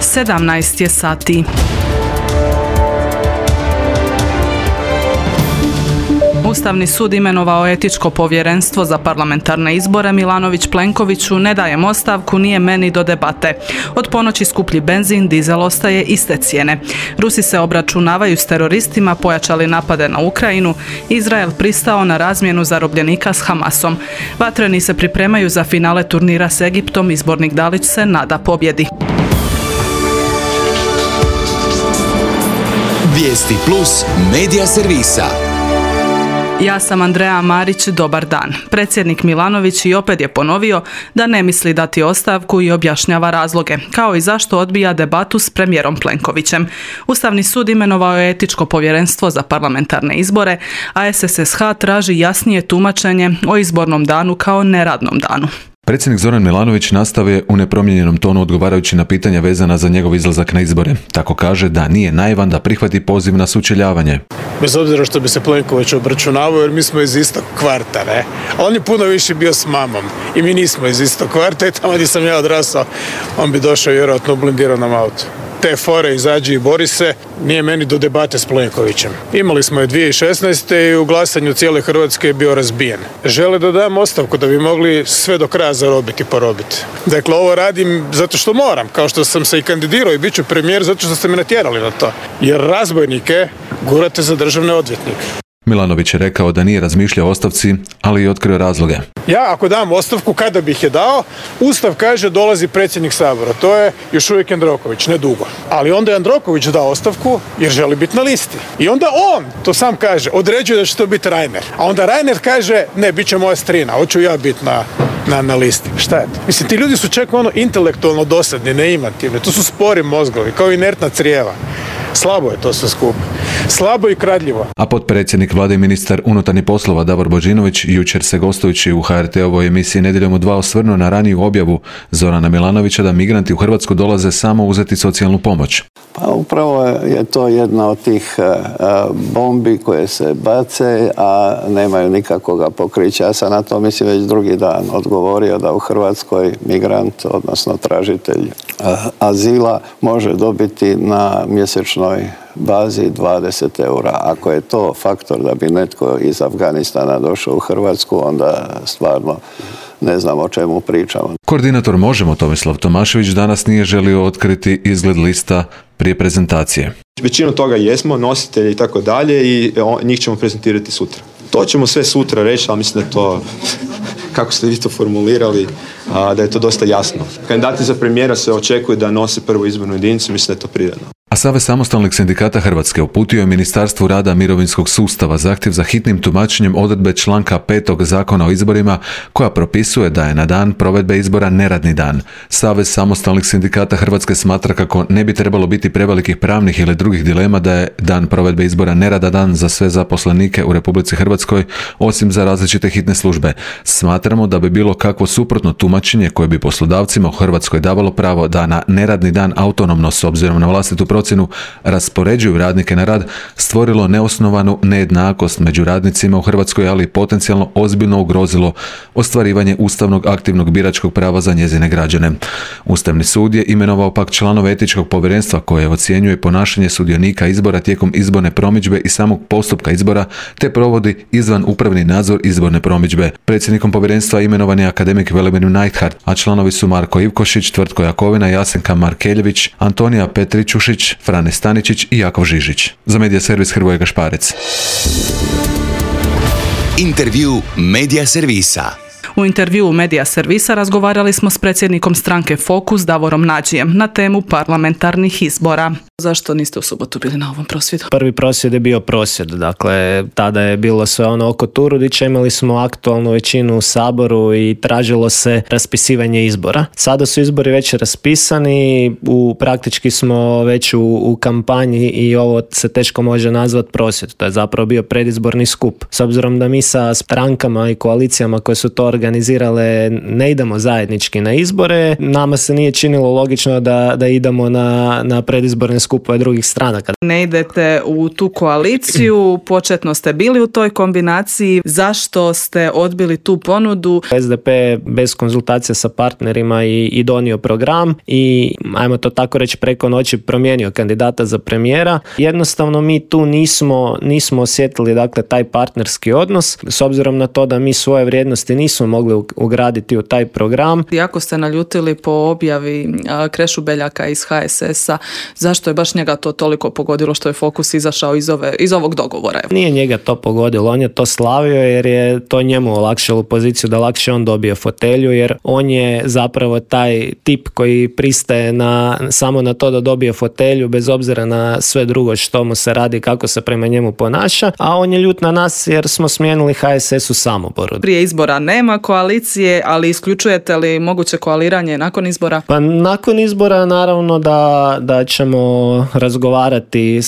17 je sati. Ustavni sud imenovao etičko povjerenstvo za parlamentarne izbore. Milanović Plenkoviću: ne dajem ostavku, nije meni do debate. Od ponoći skuplji benzin, dizel ostaje iste cijene. Rusi se obračunavaju s teroristima, pojačali napade na Ukrajinu. Izrael pristao na razmjenu zarobljenika s Hamasom. Vatreni se pripremaju za finale turnira s Egiptom, izbornik Dalić se nada pobjedi. Vijesti plus medija servisa. Ja sam Andreja Marić, dobar dan. Predsjednik Milanović i opet je ponovio da ne misli dati ostavku i objašnjava razloge, kao i zašto odbija debatu s premijerom Plenkovićem. Ustavni sud imenovao je etičko povjerenstvo za parlamentarne izbore, a SSSH traži jasnije tumačenje o izbornom danu kao neradnom danu. Predsjednik Zoran Milanović nastavio je u nepromijenjenom tonu odgovarajući na pitanja vezana za njegov izlazak na izbore. Tako kaže da nije naivan da prihvati poziv na sučeljavanje. Bez obzira što bi se Plenković obračunavao, jer mi smo iz istog kvarta, ne? A on je puno više bio s mamom i mi nismo iz istog kvarta i tamo gdje sam ja odrastao, on bi došao vjerojatno u blindiranom autu. Te fore izađi i bori se, nije meni do debate s Plenkovićem. Imali smo je 2016. i u glasanju cijele Hrvatske je bio razbijen. Žele da dam ostavku da bi mogli sve do kraja zarobiti i porobiti. Dakle, ovo radim zato što moram, kao što sam se i kandidirao i bit ću premijer zato što ste me natjerali na to. Jer razbojnike gurate za državne odvjetnike. Milanović je rekao da nije razmišljao o ostavci, ali i otkrio razloge. Ja ako dam ostavku, kada bih je dao, Ustav kaže dolazi predsjednik Sabora. To je još uvijek Jandroković, ne dugo. Ali onda je Jandroković dao ostavku jer želi biti na listi. I onda on, to sam kaže, određuje da će to biti Reiner. A onda Reiner kaže, ne, bit će moja strina, hoću ja biti na listi. Šta je to? Mislim, ti ljudi su čak intelektualno dosadni, neimativni. To su spori mozgovi, kao inertna crijeva. Slabo je to sve skupo. Slabo i kradljivo. A potpredsjednik vlade i ministar unutarnjih poslova Davor Božinović jučer se gostujući u HRT-ovoj emisiji Nedjeljom u 2 osvrnuo na raniju objavu Zorana Milanovića da migranti u Hrvatsku dolaze samo uzeti socijalnu pomoć. Pa upravo je to jedna od tih bombi koje se bace, a nemaju nikakvoga pokrića. Ja sam na to mislim već drugi dan odgovorio da u Hrvatskoj migrant, odnosno tražitelj azila, može dobiti na mjesečnoj bazi 20 eura. Ako je to faktor da bi netko iz Afganistana došao u Hrvatsku, onda stvarno ne znam o čemu pričamo. Koordinator Možemo Tomislav Tomašević danas nije želio otkriti izgled lista prije prezentacije. Većinu toga jesmo, nositelji i tako dalje, i njih ćemo prezentirati sutra. To ćemo sve sutra reći, ali mislim da je to, kako ste vi to formulirali, da je to dosta jasno. Kandidati za premijera se očekuje da nose prvu izbornu jedinicu, mislim da je to prirodno. A Savez samostalnih sindikata Hrvatske uputio je Ministarstvu rada mirovinskog sustava zahtjev za hitnim tumačenjem odredbe članka 5. Zakona o izborima koja propisuje da je na dan provedbe izbora neradni dan. Savez samostalnih sindikata Hrvatske smatra kako ne bi trebalo biti prevelikih pravnih ili drugih dilema da je dan provedbe izbora neradan dan za sve zaposlenike u Republici Hrvatskoj, osim za različite hitne službe. Smatramo da bi bilo kakvo suprotno tumačenje koje bi poslodavcima u Hrvatskoj davalo pravo da na neradni dan autonomno, s obzirom na vlastitu procjenu, raspoređuju radnike na rad, stvorilo neosnovanu nejednakost među radnicima u Hrvatskoj, ali potencijalno ozbiljno ugrozilo ostvarivanje ustavnog aktivnog biračkog prava za njezine građane. Ustavni sud je imenovao pak članove etičkog povjerenstva koje ocjenjuje ponašanje sudionika izbora tijekom izborne promidžbe i samog postupka izbora, te provodi izvan upravni nadzor izborne promidžbe. Predsjednikom povjerenstva imenovan je akademik Velimir Neidhardt, a članovi su Marko Ivkošić, Tvrtko Jakovina, Jasenka Markeljević, Antonija Petričušić, Frane Staničić i Jakov Žižić. Za medija servis Hrvoje Gašparec. Intervju medija servisa. U intervjuu medija servisa razgovarali smo s predsjednikom stranke Fokus Davorom Nađijem na temu parlamentarnih izbora. Zašto niste u subotu bili na ovom prosvjedu? Prvi prosvjed je bio prosvjed, dakle tada je bilo sve ono oko Turudića, imali smo aktualnu većinu u Saboru i tražilo se raspisivanje izbora. Sada su izbori već raspisani, praktički smo već u kampanji i ovo se teško može nazvati prosvjed. To je zapravo bio predizborni skup. S obzirom da mi sa strankama i koalicijama koje su to organizirali organizirale ne idemo zajednički na izbore, nama se nije činilo logično da idemo na predizborne skupove drugih stranaka. Ne idete u tu koaliciju, početno ste bili u toj kombinaciji, zašto ste odbili tu ponudu? SDP bez konzultacija sa partnerima i donio program i, ajmo to tako reći, preko noći promijenio kandidata za premijera. Jednostavno mi tu nismo osjetili, dakle, taj partnerski odnos, s obzirom na to da mi svoje vrijednosti nismo mogli ugraditi u taj program. Jako ste naljutili po objavi Krešu Beljaka iz HSS-a, zašto je baš njega to toliko pogodilo što je Fokus izašao iz ovog dogovora? Nije njega to pogodilo, on je to slavio jer je to njemu olakšalo poziciju da lakše on dobije fotelju, jer on je zapravo taj tip koji pristaje samo na to da dobije fotelju bez obzira na sve drugo što mu se radi, kako se prema njemu ponaša, a on je ljut na nas jer smo smijenili HSS u Samoboru. Prije izbora nema koalicije, ali isključujete li moguće koaliranje nakon izbora? Pa nakon izbora naravno da ćemo razgovarati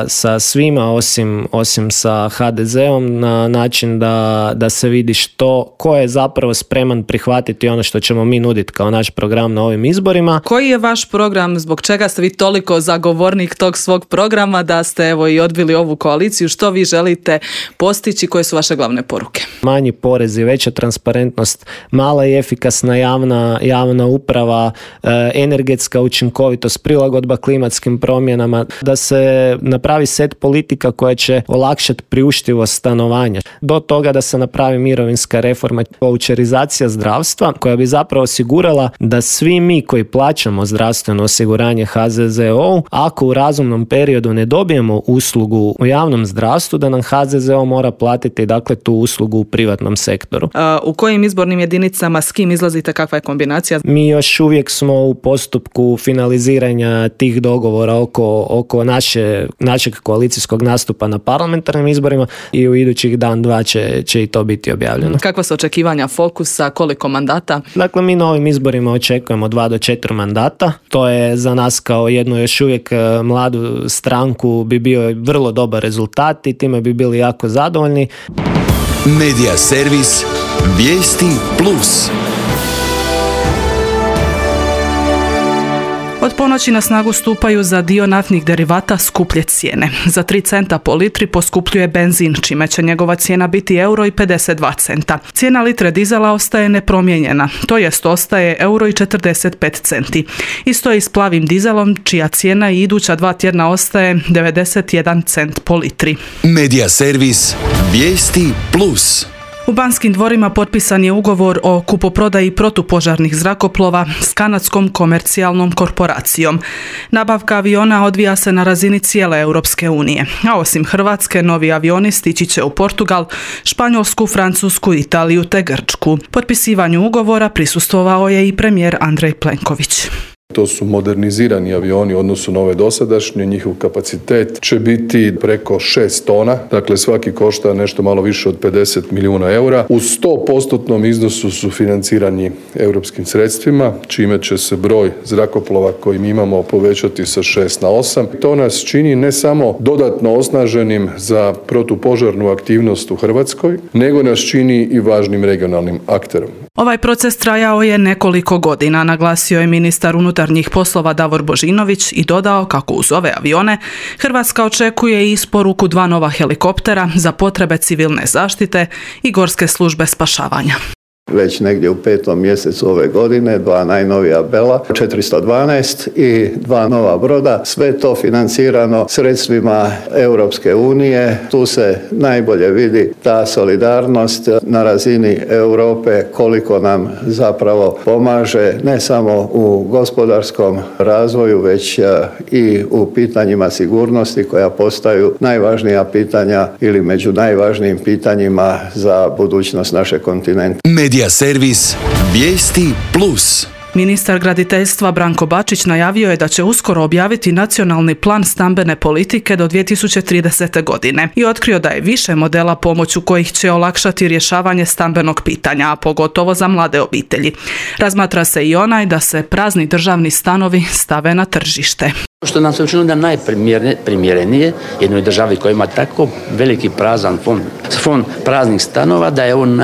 sa svima osim sa HDZ-om na način da se vidi ko je zapravo spreman prihvatiti ono što ćemo mi nuditi kao naš program na ovim izborima. Koji je vaš program, zbog čega ste vi toliko zagovornik tog svog programa da ste evo i odbili ovu koaliciju? Što vi želite postići? Koje su vaše glavne poruke? Manji porezi, veća transparentnost, mala i efikasna javna uprava, energetska učinkovitost, prilagodba klimatskim promjenama, da se napravi set politika koja će olakšati priuštivost stanovanja. Do toga da se napravi mirovinska reforma, vaučerizacija zdravstva koja bi zapravo osigurala da svi mi koji plaćamo zdravstveno osiguranje HZZO, ako u razumnom periodu ne dobijemo uslugu u javnom zdravstvu, da nam HZZO mora platiti, dakle, tu uslugu u privatnom sektoru. U kojim izbornim jedinicama s kim izlazite, kakva je kombinacija? Mi još uvijek smo u postupku finaliziranja tih dogovora oko našeg koalicijskog nastupa na parlamentarnim izborima i u idućih dan, dva će i to biti objavljeno. Kakva su očekivanja Fokusa, koliko mandata? Dakle, mi na ovim izborima očekujemo 2 do 4 mandata. To je za nas kao jednu još uvijek mladu stranku bi bio vrlo dobar rezultat i time bi bili jako zadovoljni. Medija servis Vijesti Plus. Od ponoći na snagu stupaju za dio naftnih derivata skuplje cijene. Za 3 centa po litri poskupljuje benzin, čime će njegova cijena biti €1,52. Cijena litre dizela ostaje nepromijenjena, to jest ostaje €1,45. Isto je i s plavim dizelom, čija cijena i iduća 2 tjedna ostaje 91 cent po litri. Medija servis Vijesti Plus. U Banskim dvorima potpisan je ugovor o kupoprodaji protupožarnih zrakoplova s kanadskom komercijalnom korporacijom. Nabavka aviona odvija se na razini cijele Europske unije, a osim Hrvatske, novi avioni stići će u Portugal, Španjolsku, Francusku, Italiju te Grčku. Potpisivanju ugovora prisustvovao je i premijer Andrej Plenković. To su modernizirani avioni u odnosu na ove dosadašnje, njihov kapacitet će biti preko 6 tona, dakle svaki košta nešto malo više od 50 milijuna eura. U 100% iznosu su financirani europskim sredstvima, čime će se broj zrakoplova koji mi imamo povećati sa 6 na 8. To nas čini ne samo dodatno osnaženim za protupožarnu aktivnost u Hrvatskoj, nego nas čini i važnim regionalnim akterom. Ovaj proces trajao je nekoliko godina, naglasio je ministar unutarnjih poslova Davor Božinović i dodao kako uz ove avione Hrvatska očekuje i isporuku 2 nova helikoptera za potrebe civilne zaštite i gorske službe spašavanja. Već negdje u 5. mjesecu ove godine 2 najnovija Bela, 412 i 2 nova broda. Sve to financirano sredstvima Europske unije. Tu se najbolje vidi ta solidarnost na razini Europe, koliko nam zapravo pomaže ne samo u gospodarskom razvoju, već i u pitanjima sigurnosti koja postaju najvažnija pitanja ili među najvažnijim pitanjima za budućnost našeg kontinenta. Medija servis Vijesti Plus. Ministar graditeljstva Branko Bačić najavio je da će uskoro objaviti nacionalni plan stambene politike do 2030. godine i otkrio da je više modela pomoću kojih će olakšati rješavanje stambenog pitanja, a pogotovo za mlade obitelji. Razmatra se i onaj da se prazni državni stanovi stave na tržište. Što nam se učinilo da najprimjerenije jednoj državi koja ima tako veliki prazan fond praznih stanova, da je on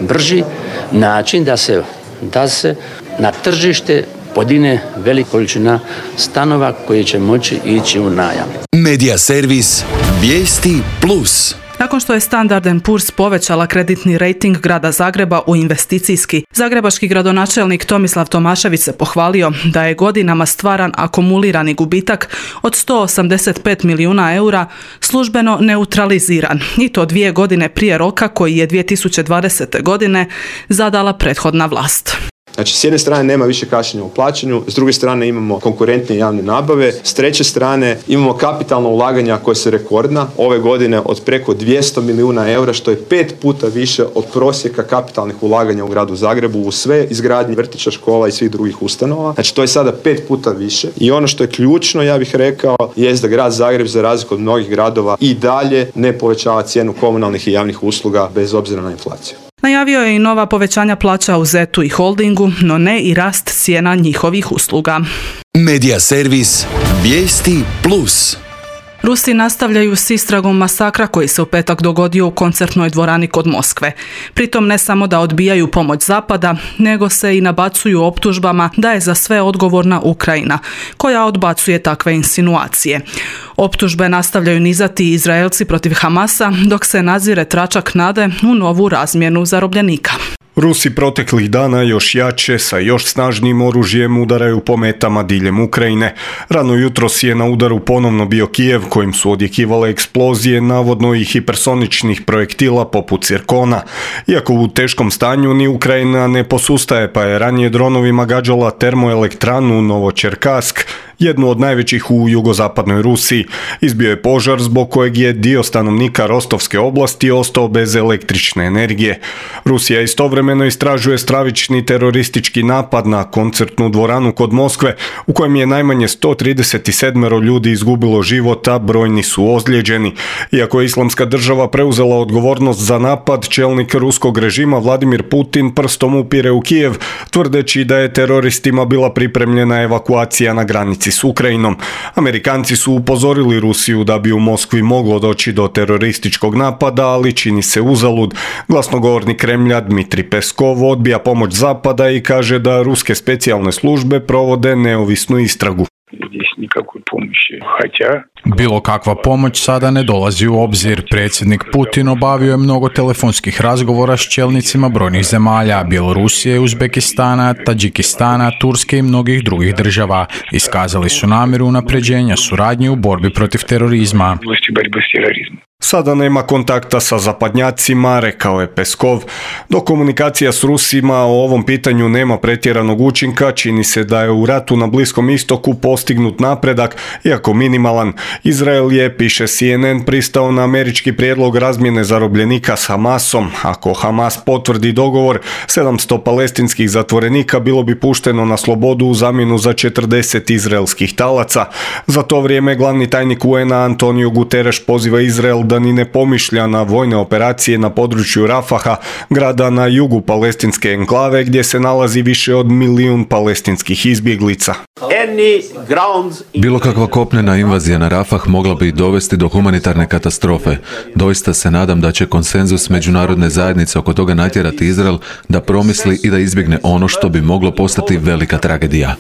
najbrži način da se na tržište podigne velika količina stanova koji će moći ići u najam. Medija servis Vijesti Plus. Nakon što je Standard & Poor's povećala kreditni rejting grada Zagreba u investicijski, zagrebački gradonačelnik Tomislav Tomašević se pohvalio da je godinama stvaran akumulirani gubitak od 185 milijuna eura službeno neutraliziran, i to 2 godine prije roka koji je 2020. godine zadala prethodna vlast. Znači, s jedne strane nema više kašnjenja u plaćanju, s druge strane imamo konkurentne javne nabave, s treće strane imamo kapitalna ulaganja koja su rekordna, ove godine od preko 200 milijuna eura, što je 5 puta više od prosjeka kapitalnih ulaganja u gradu Zagrebu u sve izgradnje vrtića, škola i svih drugih ustanova. Znači, to je sada 5 puta više. I ono što je ključno, ja bih rekao, jest da grad Zagreb, za razliku od mnogih gradova, i dalje ne povećava cijenu komunalnih i javnih usluga bez obzira na inflaciju. Najavio je i nova povećanja plaća u ZET-u i holdingu, no ne i rast cijena njihovih usluga. Medija servis Vijesti Plus. Rusi nastavljaju s istragom masakra koji se u petak dogodio u koncertnoj dvorani kod Moskve. Pritom ne samo da odbijaju pomoć Zapada, nego se i nabacuju optužbama da je za sve odgovorna Ukrajina, koja odbacuje takve insinuacije. Optužbe nastavljaju nizati Izraelci protiv Hamasa, dok se nazire tračak nade u novu razmjenu zarobljenika. Rusi proteklih dana još jače, sa još snažnijim oružjem udaraju po metama diljem Ukrajine. Rano jutros je na udaru ponovno bio Kijev, kojim su odjekivale eksplozije navodno i hipersoničnih projektila poput Cirkona. Iako u teškom stanju ni Ukrajina ne posustaje, pa je ranije dronovima gađala termoelektranu Novočerkask, jednu od najvećih u jugozapadnoj Rusiji. Izbio je požar zbog kojeg je dio stanovnika Rostovske oblasti ostao bez električne energije. Rusija istovremeno istražuje stravični teroristički napad na koncertnu dvoranu kod Moskve, u kojem je najmanje 137 ljudi izgubilo život, a brojni su ozlijeđeni. Iako je Islamska država preuzela odgovornost za napad, čelnik ruskog režima Vladimir Putin prstom upire u Kijev, tvrdeći da je teroristima bila pripremljena evakuacija na granici s Ukrajinom. Amerikanci su upozorili Rusiju da bi u Moskvi moglo doći do terorističkog napada, ali čini se uzalud. Glasnogovornik Kremlja Dmitri Peskov odbija pomoć Zapada i kaže da ruske specijalne službe provode neovisnu istragu. Bilo kakva pomoć sada ne dolazi u obzir. Predsjednik Putin obavio je mnogo telefonskih razgovora s čelnicima brojnih zemalja, Bjelorusije, Uzbekistana, Tadžikistana, Turske i mnogih drugih država. Iskazali su namjeru unapređenja suradnje u borbi protiv terorizma. Sada nema kontakta sa zapadnjacima, rekao je Peskov. Dok komunikacija s Rusima o ovom pitanju nema pretjeranog učinka, čini se da je u ratu na Bliskom istoku postignut napredak, iako minimalan. Izrael je, piše CNN, pristao na američki prijedlog razmjene zarobljenika s Hamasom. Ako Hamas potvrdi dogovor, 700 palestinskih zatvorenika bilo bi pušteno na slobodu u zamjenu za 40 izraelskih talaca. Za to vrijeme glavni tajnik UN-a Antonio Guterres poziva Izrael da ni ne pomišlja na vojne operacije na području Rafaha, grada na jugu palestinske enklave gdje se nalazi više od 1 milijun palestinskih izbjeglica. Bilo kakva kopnena invazija na Rafah mogla bi dovesti do humanitarne katastrofe. Doista se nadam da će konsenzus međunarodne zajednice oko toga natjerati Izrael da promisli i da izbjegne ono što bi moglo postati velika tragedija.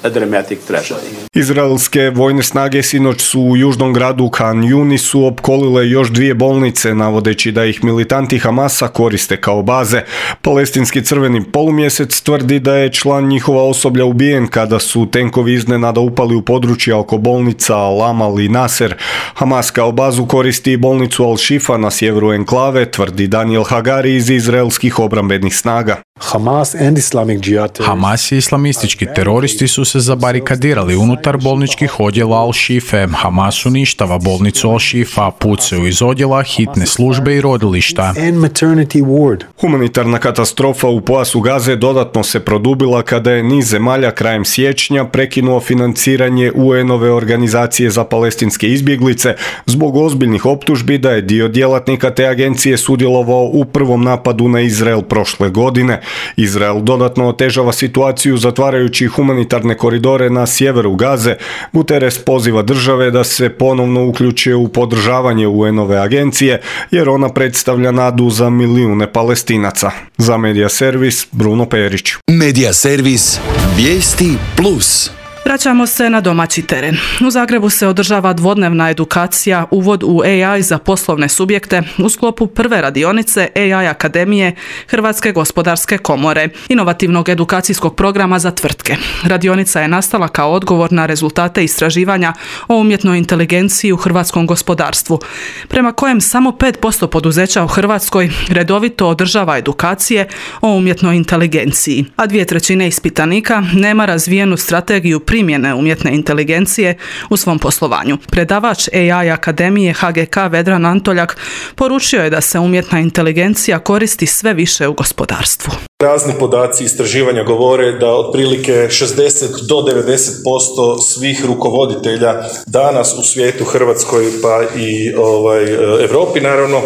Izraelske vojne snage sinoć su u južnom gradu Khan Yunisu opkolile još 2 bolnice, navodeći da ih militanti Hamasa koriste kao baze. Palestinski crveni polumjesec tvrdi da je član njihova osoblja ubijen kada su tenkovi iznenada upali u područja oko bolnica Al-Amal i Nasser. Hamas kao bazu koristi bolnicu Al-Shifa na sjeveru enklave, tvrdi Daniel Hagari iz izraelskih obrambenih snaga. Hamas i islamistički teroristi su se zabarikadirali unutar bolničkih odjela Al-Shife. Hamas uništava bolnicu Al-Shifa, pucaju iz odjela, hitne službe i rodilišta. Humanitarna katastrofa u pojasu Gaze dodatno se produbila kada je niz zemalja krajem siječnja prekinuo financiranje UN-ove organizacije za palestinske izbjeglice zbog ozbiljnih optužbi da je dio djelatnika te agencije sudjelovao u prvom napadu na Izrael prošle godine. Izrael dodatno otežava situaciju zatvarajući humanitarne koridore na sjeveru Gaze. Guterres poziva države da se ponovno uključe u podržavanje UN-ove agencije, jer ona predstavlja nadu za milijune Palestinaca. Za Medija servis, Bruno Perić. Medija servis, vijesti plus. Vraćamo se na domaći teren. U Zagrebu se održava dvodnevna edukacija Uvod u AI za poslovne subjekte u sklopu prve radionice AI Akademije Hrvatske gospodarske komore, inovativnog edukacijskog programa za tvrtke. Radionica je nastala kao odgovor na rezultate istraživanja o umjetnoj inteligenciji u hrvatskom gospodarstvu, prema kojem samo 5% poduzeća u Hrvatskoj redovito održava edukacije o umjetnoj inteligenciji, a 2/3 ispitanika nema razvijenu strategiju primjene umjetne inteligencije u svom poslovanju. Predavač AI Akademije HGK Vedran Antoljak poručio je da se umjetna inteligencija koristi sve više u gospodarstvu. Razni podaci istraživanja govore da otprilike 60 do 90% svih rukovoditelja danas u svijetu, Hrvatskoj pa i Europi naravno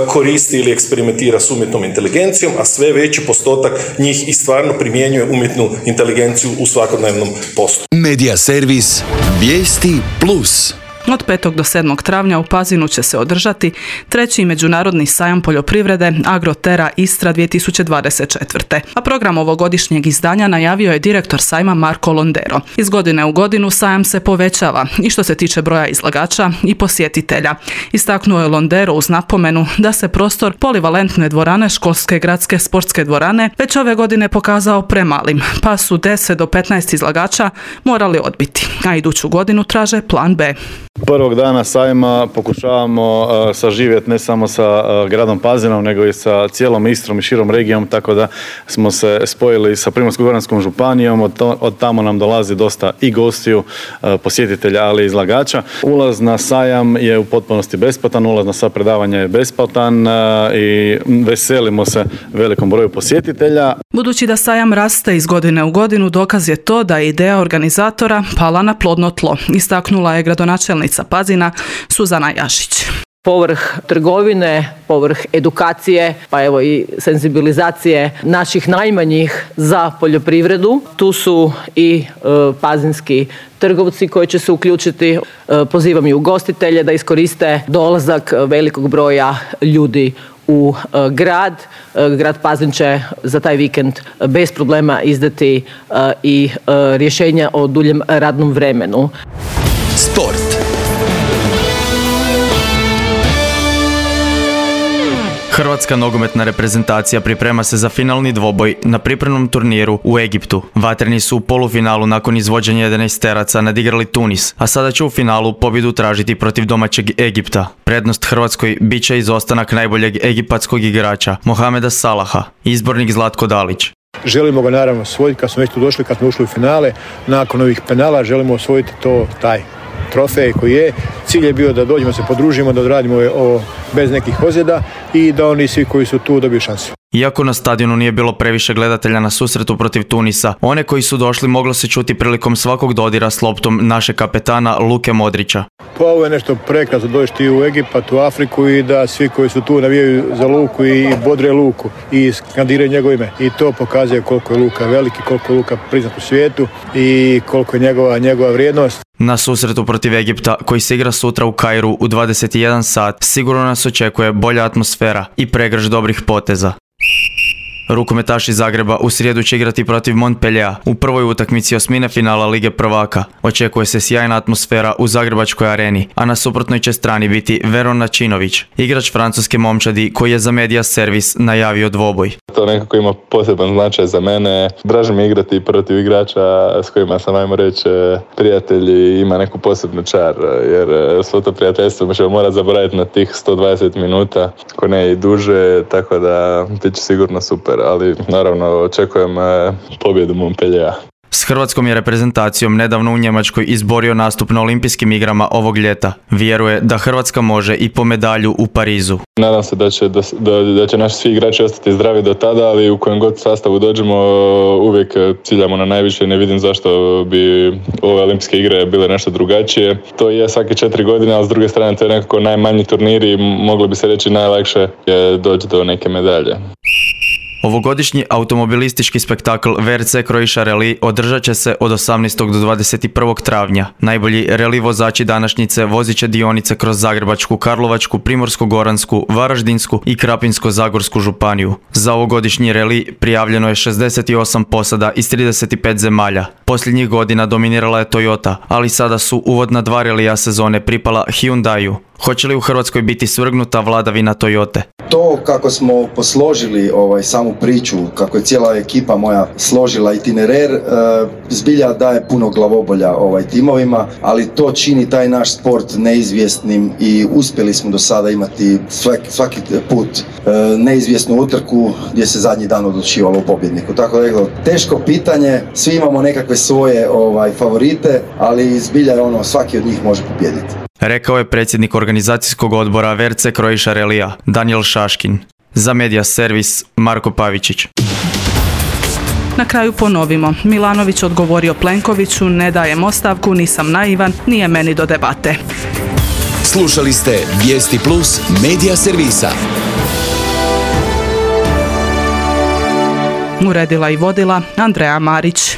koristi ili eksperimentira s umjetnom inteligencijom, a sve veći postotak njih i stvarno primjenjuje umjetnu inteligenciju u svakodnevnom poslu. Medija servis, vijesti plus. Od 5. do 7. travnja u Pazinu će se održati 3. međunarodni sajam poljoprivrede Agrotera Istra 2024. A program ovogodišnjeg izdanja najavio je direktor sajma Marko Londero. Iz godine u godinu sajam se povećava i što se tiče broja izlagača i posjetitelja. Istaknuo je Londero uz napomenu da se prostor polivalentne dvorane školske gradske sportske dvorane već ove godine pokazao premalim, pa su 10 do 15 izlagača morali odbiti, a iduću godinu traže plan B. Prvog dana sajma pokušavamo saživjeti ne samo sa gradom Pazinom, nego i sa cijelom Istrom i širom regijom, tako da smo se spojili sa Primorsko-goranskom županijom, od tamo nam dolazi dosta i gostiju, posjetitelja, ali i izlagača. Ulaz na sajam je u potpunosti besplatan, ulaz na sva predavanja je besplatan i veselimo se velikom broju posjetitelja. Budući da sajam raste iz godine u godinu, dokaz je to da je ideja organizatora pala na plodno tlo, istaknula je gradonačelnica Pazina Suzana Jašić. Povrh trgovine, povrh edukacije, pa evo i senzibilizacije naših najmanjih za poljoprivredu. Tu su i pazinski trgovci koji će se uključiti. Pozivam i ugostitelje da iskoriste dolazak velikog broja ljudi u grad. Grad Pazin će za taj vikend bez problema izdati i rješenja o duljem radnom vremenu. Sport. Hrvatska nogometna reprezentacija priprema se za finalni dvoboj na pripremnom turniru u Egiptu. Vatreni su u polufinalu nakon izvođenja 11-teraca nadigrali Tunis, a sada će u finalu pobjedu tražiti protiv domaćeg Egipta. Prednost Hrvatskoj bit će izostanak najboljeg egipatskog igrača Mohameda Salaha, izbornik Zlatko Dalić. Želimo ga naravno osvojiti kad smo već tu došli, kad smo ušli u finale. Nakon ovih penala želimo osvojiti taj trofej koji je. Cilj je bio da dođemo, se podružimo, da odradimo ovo bez nekih ozljeda i da oni svi koji su tu dobiju šansu. Iako na stadionu nije bilo previše gledatelja na susretu protiv Tunisa, one koji su došli moglo se čuti prilikom svakog dodira s loptom našeg kapetana Luke Modrića. Pa ovo je nešto prekrasno doći u Egipat, u Afriku i da svi koji su tu navijaju za Luku i bodre Luku i skandiraju njegovo ime. I to pokazuje koliko je Luka veliki, koliko je Luka priznat u svijetu i koliko je njegova vrijednost. Na susretu protiv Egipta, koji se igra sutra u Kairu u 21 sat, sigurno nas očekuje bolja atmosfera i pregrš dobrih poteza. Rukometaši Zagreba u srijedu će igrati protiv Montpelliera u prvoj utakmici osmine finala Lige prvaka. Očekuje se sjajna atmosfera u Zagrebačkoj areni, a na suprotnoj će strani biti Veron Načinović, igrač francuske momčadi koji je za Medija servis najavio dvoboj. To nekako ima poseban značaj za mene. Draže mi igrati protiv igrača s kojima sam, ajmo reći, prijatelji, ima neku posebnu čar, jer svo to prijateljstvo ćemo morati zaboraviti na tih 120 minuta, ako ne i duže, tako da bit će sigurno super. Ali naravno očekujem pobjedu Montpelliera. S hrvatskom je reprezentacijom nedavno u Njemačkoj izborio nastup na olimpijskim igrama ovog ljeta. Vjeruje da Hrvatska može i po medalju u Parizu. Nadam se da će naši svi igrači ostati zdravi do tada, ali u kojem god sastavu dođemo uvijek ciljamo na najviše i ne vidim zašto bi ove olimpijske igre bile nešto drugačije. To je svake 4 godine, ali s druge strane to je nekako najmanji turnir i moglo bi se reći najlakše je doći do neke medalje. Ovogodišnji automobilistički spektakl VRC Croatia Rally održat će se od 18. do 21. travnja. Najbolji reli vozači današnjice vozit će dionice kroz Zagrebačku, Karlovačku, Primorsko-goransku, Varaždinsku i Krapinsko-zagorsku županiju. Za ovogodišnji reli prijavljeno je 68 posada iz 35 zemalja. Posljednjih godina dominirala je Toyota, ali sada su uvodna 2 relija sezone pripala Hyundaiu. Hoće li u Hrvatskoj biti svrgnuta vladavina Toyote? To kako smo posložili samu priču, kako je cijela ekipa moja složila itinerer, zbilja daje puno glavobolja timovima, ali to čini taj naš sport neizvjesnim i uspjeli smo do sada imati svaki put neizvjesnu utrku gdje se zadnji dan odlučivalo o pobjedniku. Tako da je teško pitanje, svi imamo nekakve svoje favorite, ali zbilja je svaki od njih može pobijediti. Rekao je predsjednik organizacijskog odbora VRC Croatia Rallya, Daniel Šaškin. Za Media Servis, Marko Pavičić. Na kraju ponovimo. Milanović odgovorio Plenkoviću, ne dajem ostavku, nisam naivan, nije meni do debate. Slušali ste Vijesti Plus Media Servisa. Uredila i vodila Andreja Marić.